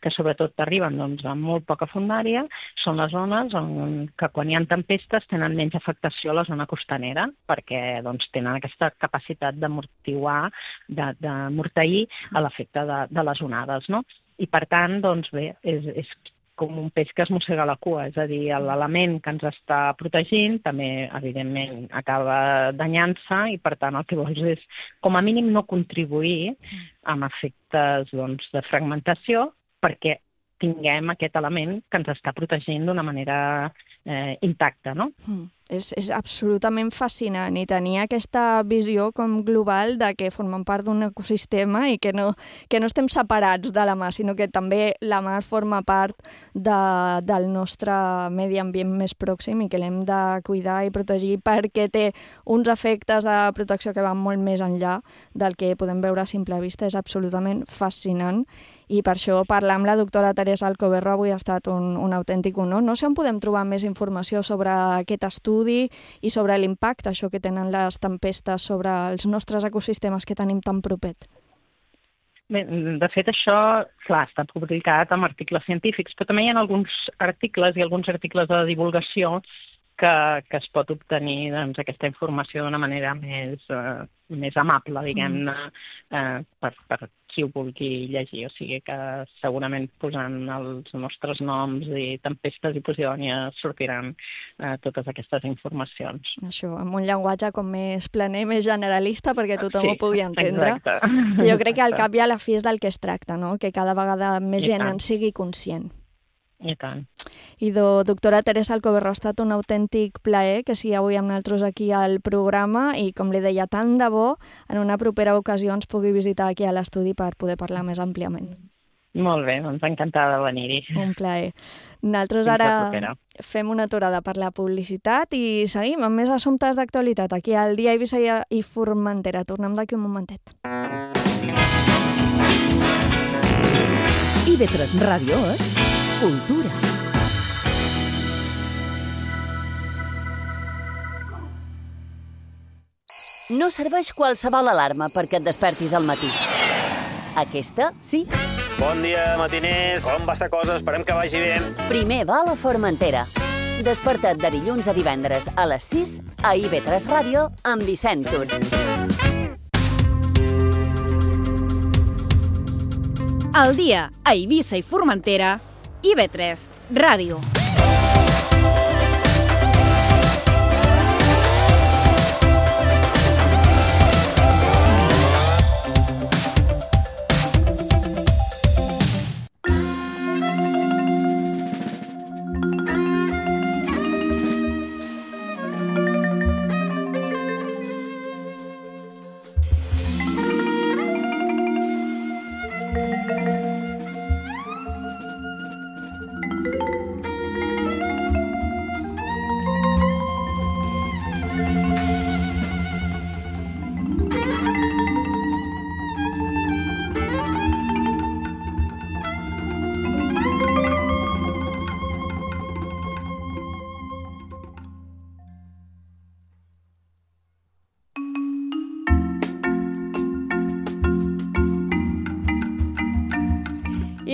que sobretot arriben doncs, amb molt poca fondària, són les zones on, que quan hi ha tempestes tenen menys afectació a la zona costanera, perquè doncs, tenen aquesta capacitat d'amortiguar, d'amorteir l'efecte de, de les onades. No? I per tant, doncs bé, és, és com un peix que es mossega la cua, és a dir, l'element que ens està protegint també, evidentment, acaba danyant-se i, per tant, el que vols és, com a mínim, no contribuir amb efectes doncs, de fragmentació perquè tinguem aquest element que ens està protegint d'una manera eh, intacta, no? Mm. És, és absolutament fascinant i tenir aquesta visió com global de que formem part d'un ecosistema i que no, que no estem separats de la mar, sinó que també la mar forma part de, del nostre medi ambient més pròxim i que l'hem de cuidar i protegir perquè té uns efectes de protecció que van molt més enllà del que podem veure a simple vista. És absolutament fascinant i per això parlar amb la doctora Teresa Alcoberro avui ha estat un, un autèntic honor. No sé on podem trobar més informació sobre aquest estudi i sobre l'impacte això que tenen les tempestes sobre els nostres ecosistemes que tenim tan propet. Bé, de fet, això, clar, està publicat en articles científics, però també hi ha alguns articles i alguns articles de divulgació que, que es pot obtenir doncs, aquesta informació d'una manera més, eh, més amable, diguem-ne, eh, per, per qui ho vulgui llegir. O sigui que segurament posant els nostres noms i tempestes i posidònia sortiran eh, totes aquestes informacions. Això, amb un llenguatge com més planer, més generalista, perquè tothom sí, ho pugui entendre. Exacte. Jo crec que al cap i a la fi és del que es tracta, no? Que cada vegada més gent en sigui conscient. I tant. I do, doctora Teresa Alcoberro, ha estat un autèntic plaer que sigui avui amb nosaltres aquí al programa i, com li deia, tant de bo en una propera ocasió ens pugui visitar aquí a l'estudi per poder parlar més àmpliament. Molt bé, doncs encantada de venir-hi. Un plaer. Nosaltres ara fem una aturada per la publicitat i seguim amb més assumptes d'actualitat aquí al Dia Eivissa i Formentera. Tornem d'aquí un momentet. I ve tres Ràdio és cultura. No serveix qualsevol alarma perquè et despertis al matí. Aquesta, sí. Bon dia, matiners. Com va la cosa? Esperem que vagi bé. Primer va a la Formentera. Desperta't de dilluns a divendres a les sis a I V tres Ràdio amb Vicent Tur. Al dia a Eivissa i Formentera, I V tres Ràdio.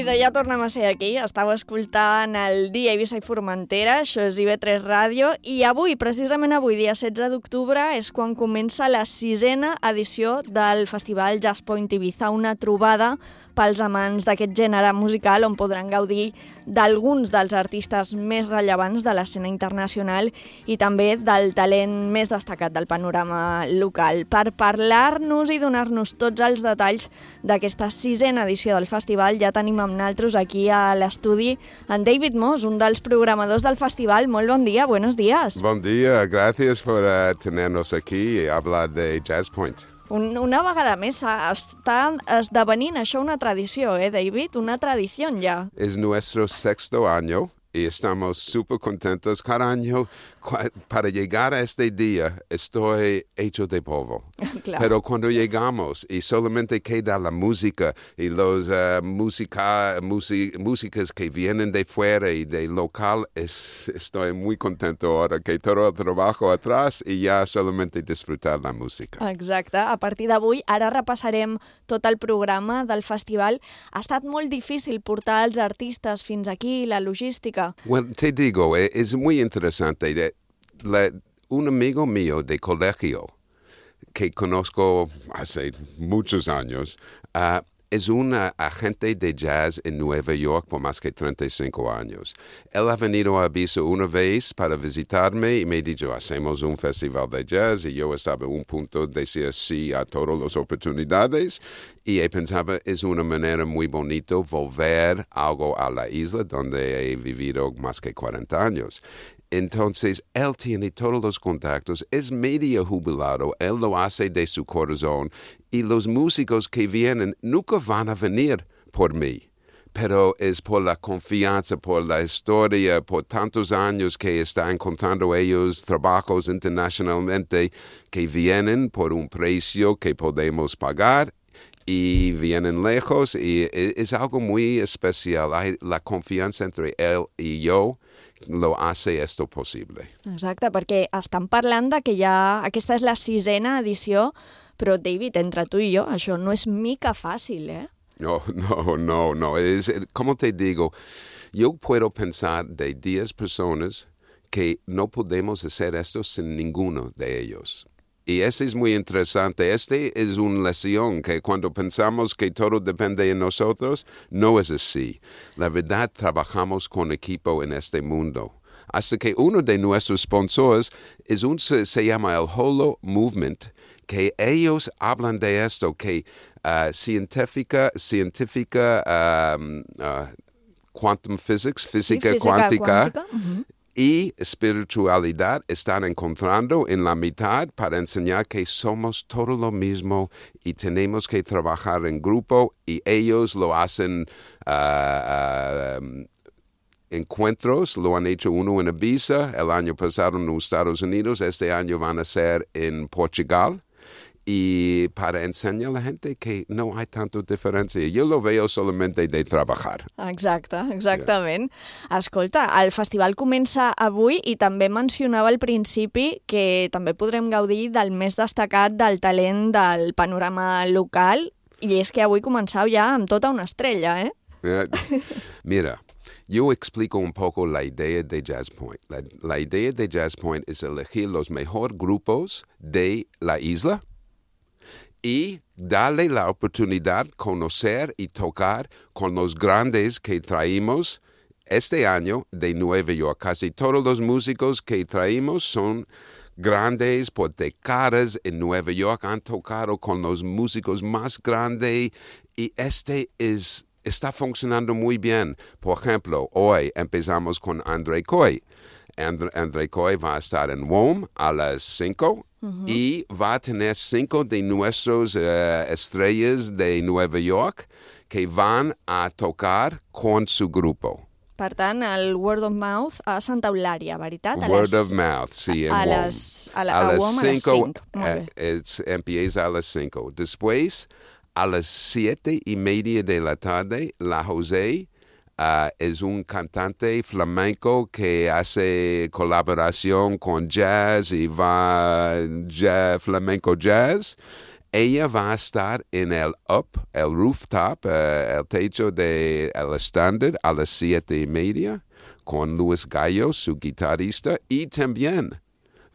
Idò, ja tornem a ser aquí. Estàu escoltant el dia Eivissa i Formentera, això és I V tres Ràdio, i avui, precisament avui, dia setze d'octubre, és quan comença la sisena edició del Festival Jazz Point Ibiza, una trobada pels amants d'aquest gènere musical on podran gaudir d'alguns dels artistes més rellevants de l'escena internacional i també del talent més destacat del panorama local. Per parlar-nos i donar-nos tots els detalls d'aquesta sisena edició del festival, ja tenim amb nosaltres aquí a l'estudi en David Moss, un dels programadors del festival. Molt bon dia, buenos días. Bon dia, gracias por uh, tenernos aquí y hablar de Jazz Point. Un, una vegada més està esdevenint això una tradició, eh, David? Una tradició ja. Es nuestro sexto año y estamos súper contentos. Cada año, para llegar a este día, estoy hecho de polvo. Claro. Pero cuando llegamos y solamente queda la música y los uh, música, music, músicas que vienen de fuera y de local, es, estoy muy contento ahora que todo el trabajo atrás y ya solamente disfrutar la música. Exacte. A partir d'avui, ara repassarem tot el programa del festival. Ha estat molt difícil portar els artistes fins aquí, la logística. Well, te digo, es muy interesante. La, un amigo mío de colegio que conozco hace muchos años uh, es un agente de jazz en Nueva York por más que treinta y cinco años. Él ha venido a Ibiza una vez para visitarme y me ha dicho, hacemos un festival de jazz, y yo estaba en un punto de decir sí a todas las oportunidades y he pensado, es una manera muy bonita volver algo a la isla donde he vivido más que cuarenta años. Entonces, él tiene todos los contactos, es medio jubilado, él lo hace de su corazón y los músicos que vienen nunca van a venir por mí, pero es por la confianza, por la historia, por tantos años que están contando ellos trabajos internacionalmente que vienen por un precio que podemos pagar y vienen lejos y es algo muy especial. Hay la confiança entre él y yo lo hace esto possible. Exacte, perquè estan parlant de que ja aquesta és la sisena edició, però David, entre tu i jo, això no és mica fàcil, eh? No, no, no, no. Es, como te digo, yo puedo pensar de diez personas que no podemos hacer esto sin ninguno de ellos. Y eso es muy interesante. Este es una lección que cuando pensamos que todo depende de nosotros, no es así. La verdad, trabajamos con equipo en este mundo. Hasta que uno de nuestros sponsors es un, se, se llama el Holo Movement, que ellos hablan de esto, que uh, científica, científica um, uh, quantum physics, física, sí, física cuántica, cuántica. Uh-huh. Y espiritualidad están encontrando en la mitad para enseñar que somos todo lo mismo y tenemos que trabajar en grupo y ellos lo hacen uh, uh, encuentros, lo han hecho uno en Ibiza, el año pasado en los Estados Unidos, este año van a ser en Portugal. Y para enseñar a la gente que no hay tanta diferencia. Yo lo veo solamente de trabajar. Exacte, exactament. Yeah. Escolta, el festival comença avui i també mencionava al principi que també podrem gaudir del més destacat del talent del panorama local, i és que avui començau ja amb tota una estrella, eh? Yeah. Mira, yo explico un poco la idea de Jazz Point. La, la idea de Jazz Point es elegir los mejores grupos de la isla y darle la oportunidad de conocer y tocar con los grandes que traímos este año de Nueva York. Casi todos los músicos que traímos son grandes por décadas en Nueva York, han tocado con los músicos más grandes y este es, está funcionando muy bien. Por ejemplo, hoy empezamos con André Coy. And, André Coy va a estar en W O M a las cinco. Uh-huh. Y va a tener cinco de nuestros uh, estrellas de Nueva York que van a tocar con su grupo. Per tant, el Word of Mouth a Santa Eulària, veritat? A Word les... of Mouth, sí, en a W O M. Les... A, la... a, a las W O M a las cinco. Eh, es, empieza a las cinco. Después, a las siete y media de la tarde, la José Uh, es un cantante flamenco que hace colaboración con jazz y va jazz, flamenco jazz. ella va a estar en el up, el rooftop, uh, el techo del el estándar a las siete y media, con Luis Gallo, su guitarrista, y también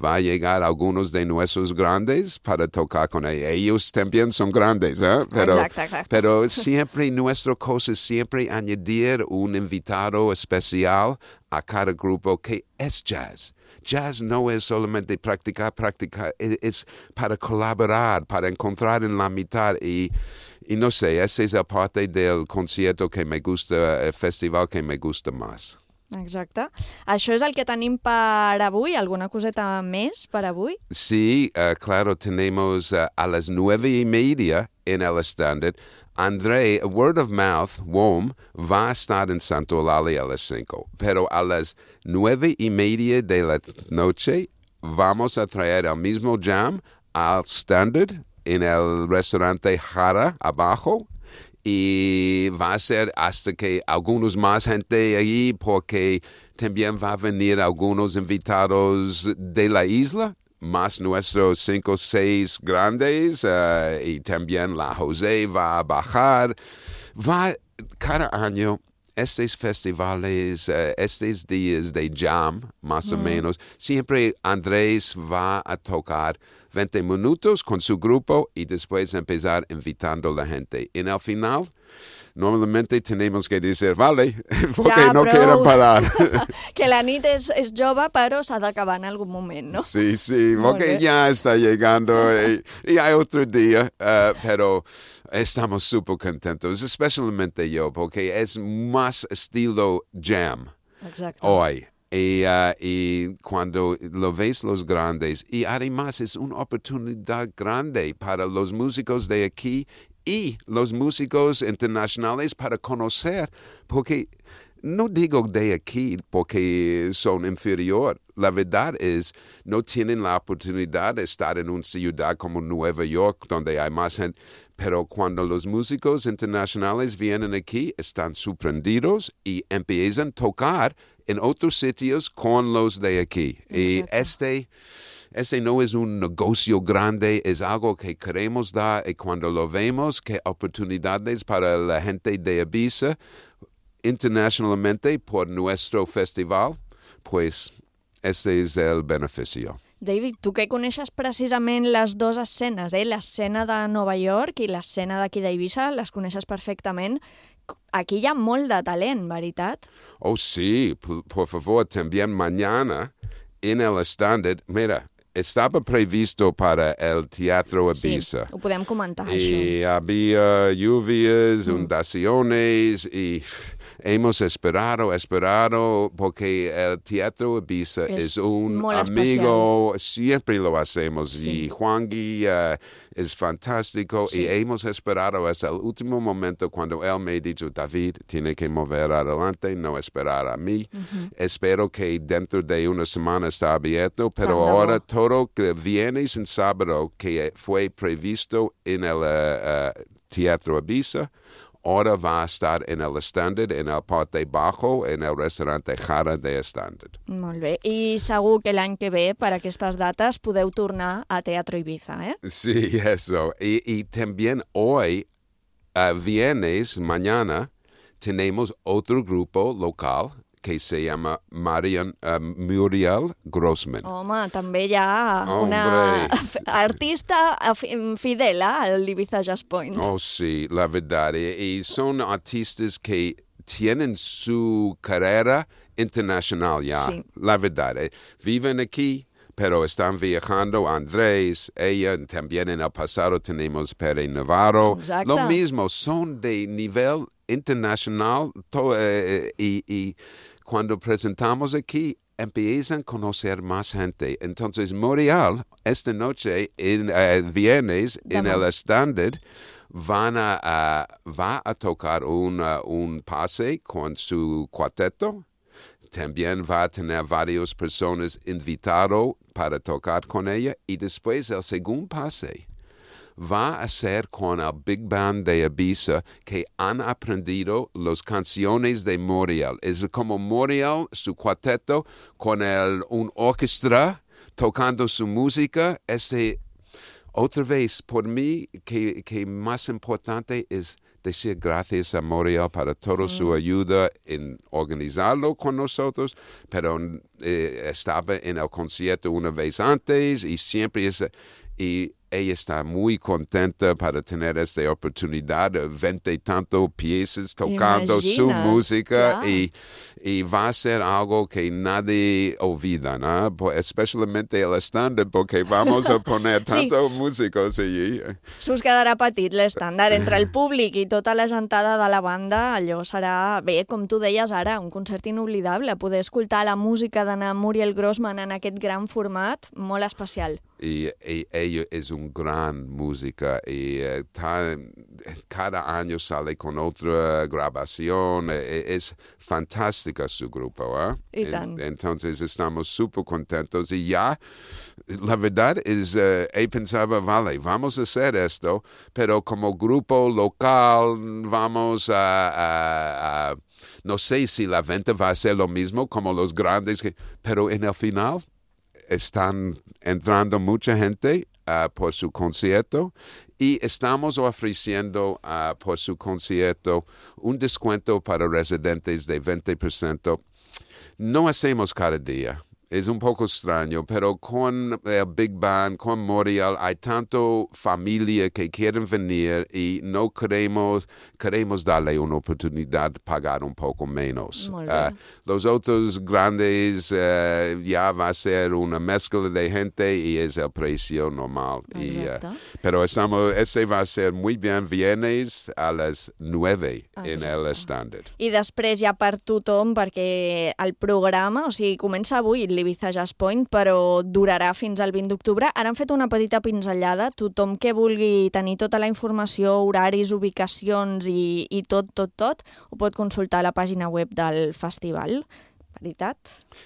va a llegar algunos de nuestros grandes para tocar con ella. Ellos también son grandes, ¿eh? Pero, exacto, exacto. pero siempre nuestra cosa es siempre añadir un invitado especial a cada grupo que es jazz. Jazz no es solamente practicar, practicar, es, es para colaborar, para encontrar en la mitad y, y no sé, esa es la parte del concierto que me gusta, el festival que me gusta más. Exacte. Això és el que tenim per avui. Alguna coseta més per avui? Sí, uh, claro, tenemos uh, a las nueve y media en el estándar. André, Word of Mouth, W O M, va a estar en Santo Eulalia a las cinco. Pero a las nueve y media de la noche vamos a traer el mismo jam al estándar en el restaurante Jara abajo. Y va a ser hasta que algunos más gente allí, porque también va a venir algunos invitados de la isla, más nuestros cinco o seis grandes, uh, y también la José va a bajar. Va cada año, estos festivales, uh, estos días de jam, más mm. o menos, siempre Andrés va a tocar veinte minutos con su grupo y después empezar invitando a la gente. En el final, normalmente tenemos que decir, vale, porque ja, no quieren parar. Que la nit és, és jove, però s'ha d'acabar en algun moment, no? Sí, sí, porque ya está llegando y, y hay otro día, uh, pero estamos súper contentos, especialmente yo, porque es más estilo jam Exacto. hoy. Y, uh, y cuando lo ves los grandes, y además es una oportunidad grande para los músicos de aquí y los músicos internacionales para conocer, porque no digo de aquí porque son inferior. La verdad es, no tienen la oportunidad de estar en una ciudad como Nueva York, donde hay más gente. Pero cuando los músicos internacionales vienen aquí, están sorprendidos y empiezan a tocar en otros sitios con los de aquí. Exacto. Y este, este no es un negocio grande, es algo que queremos dar. Y cuando lo vemos, que oportunidades para la gente de Ibiza internacionalmente por nuestro festival, pues este es el beneficio. David, tu que coneixes precisament les dues escenes, eh? L'escena de Nova York i l'escena d'aquí d'Eivissa, les coneixes perfectament. Aquí hi ha molt de talent, veritat? Oh, sí, por, por favor, también mañana en el estándar, mira, estaba previsto para el Teatro Ibiza. Sí, ho podem comentar, y això. Y había lluvias, mm. inundaciones y hemos esperado, esperado, porque el Teatro Ibiza es, es un amigo, especial. Siempre lo hacemos, sí. Y Juan Gui uh, es fantástico, sí. Y hemos esperado hasta el último momento cuando él me ha dicho, David, tiene que mover adelante, no esperar a mí. Uh-huh. Espero que dentro de una semana está abierto, pero Cuando... ahora todo que viernes y sábado que fue previsto en el uh, uh, Teatro Ibiza, ahora va a estar en el estándar, en el parte bajo, en el restaurante Jara de estándar. Molt bé. I segur que l'any que ve, per aquestes dates, podeu tornar a Teatro Ibiza, ¿eh? Sí, eso. Y, y también hoy, uh, viernes, mañana, tenemos otro grupo local que se llama Marian, uh, Muriel Grossman. Home, també hi ha una artista fidel al Ibiza Jazz Point. Oh, sí, la verdad. Y, y son artistas que tienen su carrera internacional ya, sí. La verdad. Eh, viven aquí, pero están viajando. Andrés, ella, también en el pasado tenemos Pere Navarro. Exacto. Lo mismo, son de nivel internacional to, eh, y, y cuando presentamos aquí, empiezan a conocer más gente. Entonces, Muriel, esta noche, en uh, viernes, en el estándar, van a, uh, va a tocar un, uh, un pase con su cuarteto. También va a tener varias personas invitadas para tocar con ella. Y después, el segundo pase va a ser con el Big Band de Ibiza, que han aprendido las canciones de Muriel. Es como Muriel, su cuarteto, con el, un orquesta tocando su música. Este, otra vez, por mí, que, que más importante es decir gracias a Moriel para toda su ayuda en organizarlo con nosotros, pero eh, estaba en el concierto una vez antes y siempre es... Y ella está muy contenta para tener esta oportunidad de veinte y tantos piezas tocando Imagina, su música yeah. y, y va a ser algo que nadie olvida, ¿no? Especialmente el estàndard, porque vamos a poner tantos sí. músicos allí. S'us quedarà petit l'estàndard entre el públic i tota la gentada de la banda. Allò serà, bé, com tu deies ara, un concert inoblidable. Poder escoltar la música d'Anna Muriel Grossman en aquest gran format, molt especial. Y, y ella es un gran música y uh, ta, cada año sale con otra grabación. E, es fantástica su grupo. ¿eh? En, entonces estamos súper contentos y ya, la verdad es, uh, he pensado, vale, vamos a hacer esto, pero como grupo local vamos a... a, a no sé si la venta va a ser lo mismo como los grandes, que, pero en el final... están entrando mucha gente uh, por su concierto y estamos ofreciendo uh, por su concierto un descuento para residentes de veinte por ciento. No hacemos cada día. Es un poco extraño, pero con el Big Band, con Moriel, hay tanto familia que quieren venir y no queremos, queremos darle una oportunidad de pagar un poco menos. Uh, los otros grandes uh, ya va a ser una mezcla de gente y es el precio normal. Y, uh, pero estamos, este va a ser muy bien viernes a las nueve Exacte. En el estàndard. I després ja per tothom, perquè el programa, o sigui, comença avui l'Ibiza Jazz Point, però durarà fins al vint d'octubre. Ara han fet una petita pinzellada. Tothom que vulgui tenir tota la informació, horaris, ubicacions i, i tot, tot, tot, ho pot consultar a la pàgina web del festival. ¿Verdad?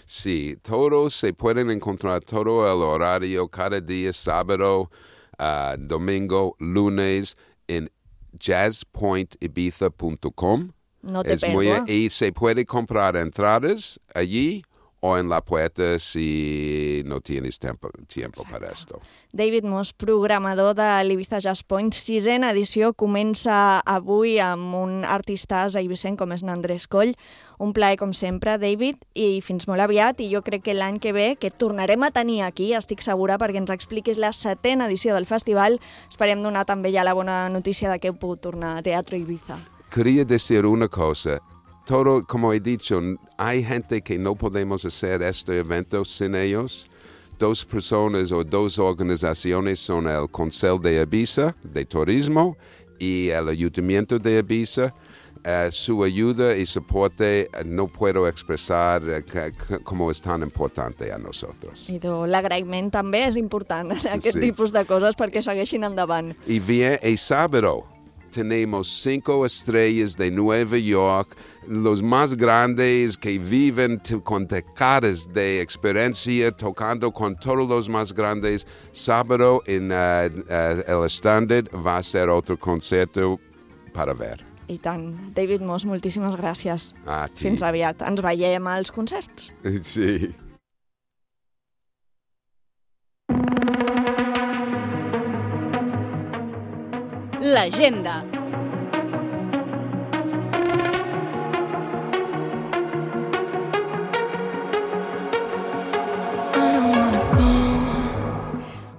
Sí, todos se pueden encontrar todo el horario cada día, sábado, uh, domingo, lunes, en jazz point ibiza punto com. No te es muy, y se puede comprar entradas allí o en la puerta si no tienes tiempo, tiempo para esto. David Moss, programador de l'Ibiza Jazz Point, sisena edició, comença avui amb un artistàs eivissenc com és n'Andrés Coll. Un plaer, com sempre, David, i fins molt aviat. I jo crec que l'any que ve, que et tornarem a tenir aquí, estic segura, perquè ens expliquis la setena edició del festival. Esperem donar també ja la bona notícia de que heu pogut tornar a Teatro Ibiza. Quería decir una cosa. Todo, como he dicho, hay gente que no podemos hacer este evento sin ellos. Dos personas o dos organizaciones son el Consejo de Ibiza, de Turismo, y el Ayuntamiento de Ibiza. Uh, su ayuda y soporte uh, no puedo expresar uh, cómo es tan importante a nosotros. I l'agraïment també és important en aquest sí. tipus de coses perquè segueixin endavant. Y bien, el sábado tenemos cinco estrellas de Nueva York, los más grandes que viven con décadas de experiencia tocando con todos los más grandes. Sábado en uh, uh, el estàndard va a ser otro concierto para ver. I tant. David Moss, moltíssimes gràcies. A ti. Fins aviat. Ens veiem als concerts. Sí. L'agenda.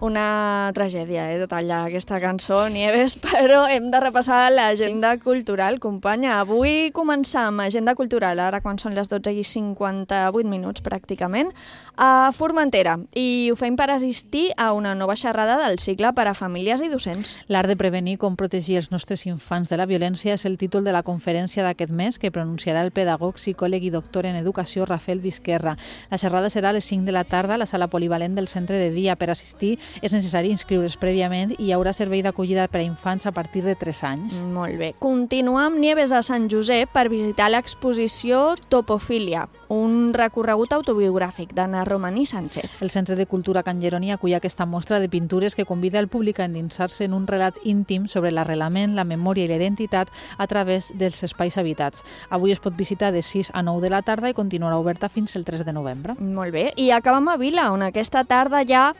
Una tragèdia, eh, de tallar aquesta cançó, Nieves, però hem de repassar l'agenda sí. cultural, companya. Avui començam agenda cultural, ara quan són les dotze i cinquanta-vuit minuts pràcticament, a Formentera, i ho fem per assistir a una nova xerrada del cicle per a famílies i docents. L'art de prevenir com protegir els nostres infants de la violència és el títol de la conferència d'aquest mes que pronunciarà el pedagog, psicòleg i doctor en educació Rafael Vizquerra. La xerrada serà a les cinc de la tarda a la sala polivalent del centre de dia. Per assistir és necessari inscriure's prèviament i hi haurà servei d'acollida per a infants a partir de tres anys. Molt bé. Continuam, Nieves, a Sant Josep per visitar l'exposició Topofília, un recorregut autobiogràfic d'Anna Romaní Sánchez. El Centre de Cultura Can Jeroni acull aquesta mostra de pintures que convida el públic a endinsar-se en un relat íntim sobre l'arrelament, la memòria i la identitat a través dels espais habitats. Avui es pot visitar de sis a nou de la tarda i continuarà oberta fins el tres de novembre. Molt bé. I acabem a Vila, on aquesta tarda ja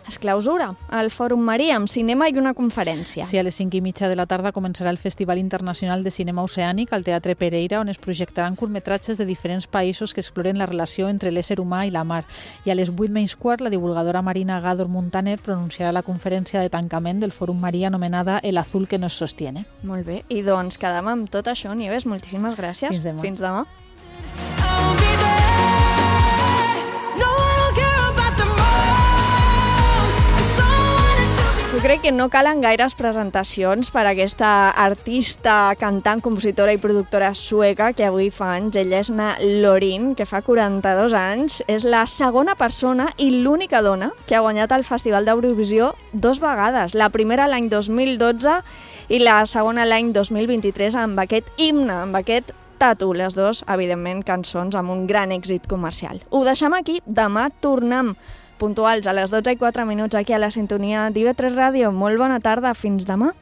es clausura el Fòrum Marí amb cinema i una conferència. Sí, a les cinc i mitja de la tarda començarà el Festival Internacional de Cinema Oceànic al Teatre Pereira, on es projectaran curtmetratges de diferents països que exploren la relació entre l'ésser humà i la mar. I a les vuit menys quart, la divulgadora marina Gádor Muntaner pronunciarà la conferència de tancament del Fòrum Marí anomenada El azul que nos sostiene. Molt bé, i doncs quedem amb tot això, Nieves. Moltíssimes gràcies. Fins demà. Fins demà. Jo crec que no calen gaires presentacions per a aquesta artista, cantant, compositora i productora sueca que avui fa anys. Ella és Na Lorin, que fa quaranta-dos anys. És la segona persona i l'única dona que ha guanyat el Festival d'Eurovisió dos vegades. La primera l'any dos mil dotze i la segona l'any dos mil vint-i-tres amb aquest himne, amb aquest Tatu. Les dues, evidentment, cançons amb un gran èxit comercial. Ho deixem aquí. Demà tornem puntuals a les dotze i quatre minuts aquí a la sintonia d'I V tres Ràdio. Molt bona tarda, fins demà.